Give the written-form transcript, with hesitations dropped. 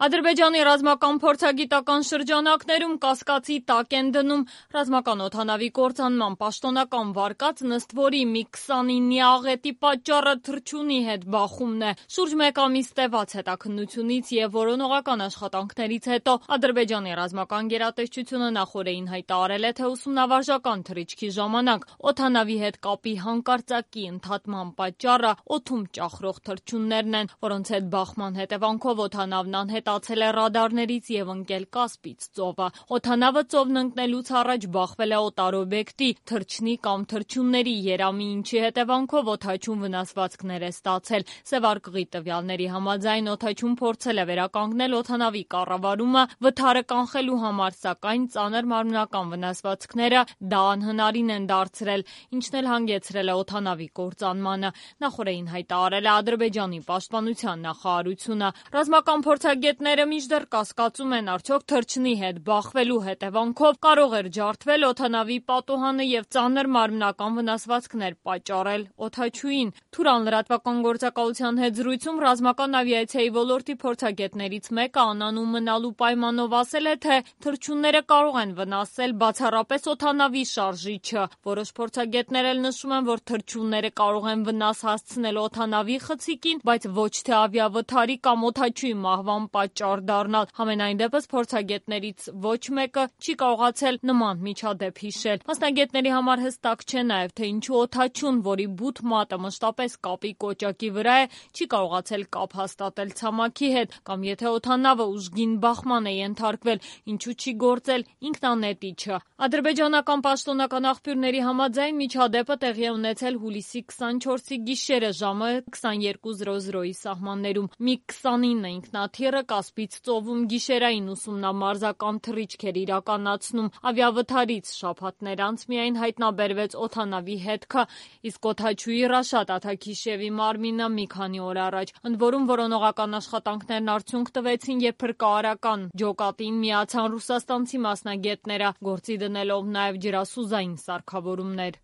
Ադրբեջանի ռազմական փորձագիտական շրջանակներում կասկածի տակ են դնում ռազմական օդանավի կործանման պաշտոնական վարկածն, ըստ որի MiG-29-ի աղետի պատճառը թռչունի հետ բախումն է։ Շուրջ մեկ ամիս տևած հետաքննությունից եւ որոնողական աշխատանքներից հետո Ադրբեջանի ռազմական գերատեսչությունը նախօրեին հայտարարել է, թե ուսումնավարժական թռիչքի ժամանակ օդանավի հետ կապի հանկարծակի ընդհատման պատճառը օդում ճախրող թռչուններն են, որոնց հետ բախման հետևանքով օդանավն անհետացել է ռադարներից եւ ընկել Կասպից ծովը։ Օդանավը ծովն ընկնելուց առաջ բախվել է օտարօբյեկտի, թռչնի կամ թռչունների երամի, ինչի հետևանքով օդաչուն վնասվածքներ է ստացել։ Սևարկղի տվյալների համաձայն օդաչուն փորձել է վերականգնել օդանավի կառավարումը վթարը կանխելու համար, սակայն ծանր մարմնական վնասվածքները դա անհնարին են դարձրել, ինչն էլ հանգեցրել է օդանավի կործանմանը։ Նախօրեին հայտարարել է Ադրբեջանի պաշտպանության նախարարությունը։ Ռազմական փորձագետները մինչդեռ կասկածում են, արդյոք թռչնի հետ բախվելու հետևանքով կարող էր ջարդվել օդանավի պատուհանը եւ ծանր մարմնական վնասվածքներ պատճառել օդաչուին։ Թուրան լրատվական գործակալության հետ զրույցում ռազմական ավիացիայի ոլորտի փորձագետներից մեկը անանուն մնալու պայմանով ասել է, թե թռչունները կարող են վնասել բացառապես օդանավի շարժիչը։ Որոշ փորձագետներ էլ նշում են, որ թռչունները կարող են վնաս հասցնել օդանավի խցիկին, բայց ոչ թե ավիավթարի կամ օդաչուի մահվան պատճառ դառնալ։ Համենայն դեպս փորձագետներից ոչ մեկը չի կարողացել նման միջադեպ հիշել։ Մասնագետների համար հստակ չէ նաև, թե ինչու օդաչուն, որի բութ մատը մշտապես կապի կոճակի վրա է, չի կարողացել կապ հաստատել ցամաքի հետ, կամ եթե օդանավը ուժգին բախման է ենթարկվել, ինչու չի գործել ինքնանետիչը։ Ադրբեջանական պաշտոնական աղբյուրների համաձայն միջադեպը տեղի է ունեցել հուլիսի 24-ի գիշերը ժամը 22:00-ի սահմաններում։ MiG-29 ինքնաթիռը Կասպից ծովում գիշերային ուսումնամարզական թռիչք էր իրականացնում։ Ավիավթարից շաբաթներ անց միայն հայտնաբերվեց օդանավի հետքը, իսկ օդաչուի Ռաշադ Աթաքիշևի մարմինը մի քանի օր առաջ։ Ընդ որում որոնողական աշխատանքներն արդյունք տվեցին, երբ փրկարարական ջոկատին միացան ռուսաստանցի մասնագետները, գործի դնելով նաև ջրասուզային սարքավորումներ։